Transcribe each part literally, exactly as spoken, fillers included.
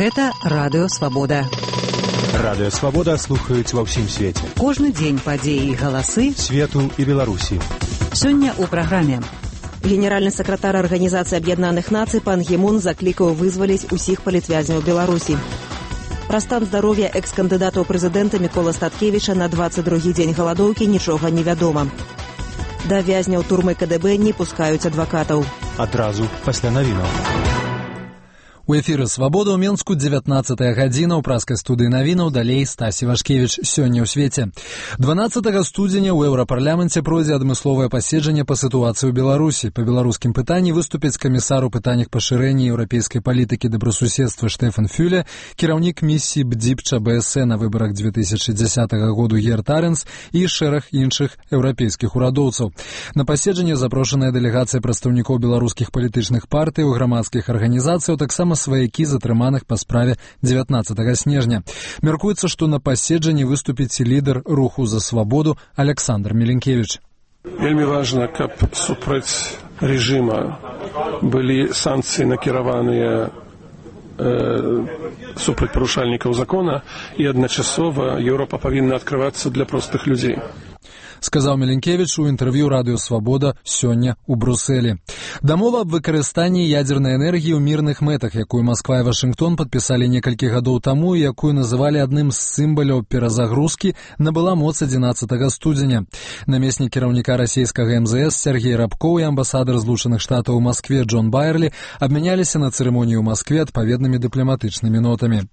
Гэта Радыё Свабода. Радыё Свабода слухаюць ва ўсім свеце. Кожны дзень падзеі і галасы свету і Беларусі. Сёння ў праграме. Генеральны сакратар Арганізацыі Аб'яднаных Нацый пан Гі Мун заклікаў вызваліць усіх палітвязняў Беларусі. Пра стан здароўя экс-кандыдата ў прэзідэнта Мікола Статкевіча на дваццаць другі дзень галадоўкі нічога не вядома. Да вязняў турмы Ка Дэ Бэ не пускаюць адвакатаў. Адразу пасля навінаў. У эфіры «Свабода» ў Менску дзевятнаццатая гадзіна, ў праскай студыі навінаў, далей Стасі Вашкевіч. Сёння ў свеце. дванаццатага студзеня ў Еўрапарламенце пройдзе адмысловае паседжанне па сітуацыі ў Беларусі. Па беларускім пытанні выступіць камісар у пытаннях пашырэння еўрапейскай палітыкі добрасуседства Штэфан Фюле, кіраўнік місіі Б Д И П Ч Б С на выбарах две тысячы дзесятага году Герт Арэнс і шэраг іншых еўрапейскіх урадоўцаў. На паседжанне запрошаная дэлегацыя прадстаўнікоў беларускіх палітычных партый, грамадскіх арганізацыяў, таксама сваякі затрыманых па справе дзевятнаццатага снежня. Мяркуецца, што на паседжанні выступіць лідар руху за свабоду Александр Міленкевіч. Вельмі важна, каб супраць рэжыма былі санкцыі накіраваныя э, супраць парушальнікаў закона, і адначасова Еўропа павінна адкрывацца для простых людзей. Сказаў Міленкевіч у інтэрв'ю Радыё Свабода сёння ў Брусэлі. Дамова аб выкарыстанні ядзернай энергіі ў мірных мэтах, якую Масква і Вашынгтон падпісалі некалькі гадоў таму і якую называлі адным з сімваляў перазагрузкі, набыла моц адзінаццатага студзеня. Намеснік кіраўніка расійскага Эм Зэ Эс Сергей Рабкоў і амбасадар Злучаных Штатаў у Маскве Джон Байерлі абмяняліся на цырымоніі ў Маскве адпаведнымі дыпламатычнымі нотамі.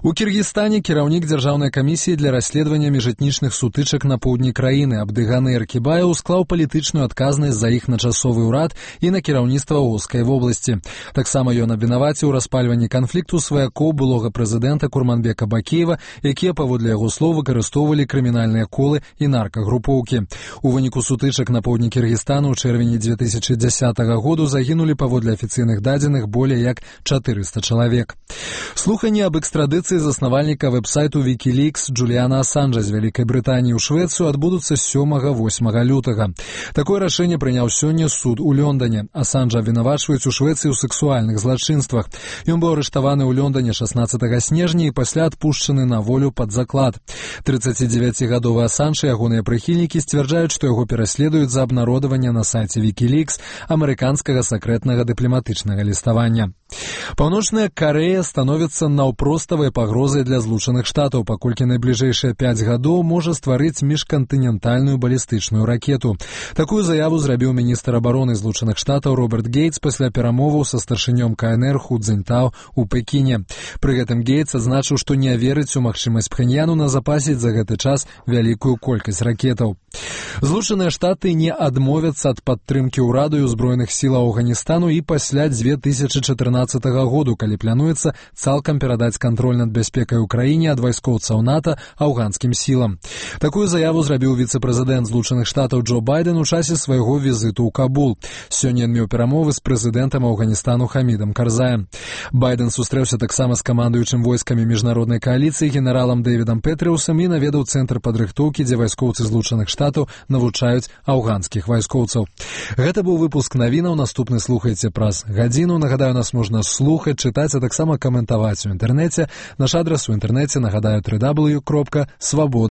У Кіргізстане кіраўнік дзяржаўнай камісіі для расследавання міжэтнічных сутычак на поўдні краіны Абдыганы Эркібаеў склаў палітычную адказнасць за іх на часовы ўрад і на кіраўніцтва Оскай вобласці. Таксама ён абвінаваціў у распальванні канфлікту сваякоў былога прэзідэнта Курманбека Бакеева, якія, паводле яго слоў, выкарыстоўвалі крымінальныя колы і наркагрупоўкі. У выніку сутычак на поўдні Кіргізстану ў чэрвені две тысячы дзесятага году загінулі, паводле афіцыйных дадзеных, болей як чатырыста чалавек. Слуханні аб экстрадыцыі заснавальніка вэб-сайту Вікілікс Джуліана Асанжа з Вялікай Брытаніі ў Швецыю адбудуцца сёмага-восьмага лютага. Такое рашэнне прыняў сёння суд у Лёндане. Асанжа абвінавачваюць у Швецыі ў сексуальных злачынствах. Ён быў арыштаваны ў Лёндане шаснаццатага снежня і пасля адпушчаны на волю пад заклад. трыццацідзевяцігадовы Асанж і ягоныя прыхільнікі сцвярджаюць, што яго пераследуюць за абнародаванне на сайце Вікілікс амерыканскага сакрэтнага дыпламатычнага ліставання. Паўночная Карэя становіцца наўпроставай пагрозай для Злучаных Штатаў, паколькі найбліжэйшыя пяць гадоў можа стварыць міжкантынентальную балістычную ракету. Такую заяву зрабіў міністр абароны Злучаных Штатаў Роберт Гейтс пасля перамоваў са старшынём Ка Эн Эр Ху Цзіньтао ў Пекіне. Пры гэтым Гейтс адзначыў, што не верыць у магчымасць Пхеньяну назапасіць за гэты час вялікую колькасць ракетаў. Злучаныя Штаты не адмовяцца ад падтрымкі ўраду і ўзброеных сілаў Афганістану і пасля две тысячы чатырнаццатага году, калі плануецца цалкам перадаць кантроль над бяспекай у краіне ад вайскоўцаў НАТО афганскім сілам. Такую заяву зрабіў віцэ-прэзідэнт Злучаных Штатаў Джо Байден у часе свайго візіту ў Кабул. Сёння ён меў перамовы з прэзідэнтам Афганістану Хамідам Карзаем. Байден сустрэўся таксама з камандуючым войскамі міжнароднай кааліцыі генералам Дэвідам Петрыусам і наведаў цэнтр падрыхтоўкі, дзе вайскоўцы Злучаных Штатаў навучаюць афганскіх вайскоўцаў. Гэта быў выпуск навінаў. Наступны слухайце праз гадзіну. Нагадаю, нас можна слухаць, чытаць, а таксама каментаваць у інтэрнэце. Наш адрас у інтэрнэце, нагадаю, дабл ю дабл ю дабл ю кропка свабода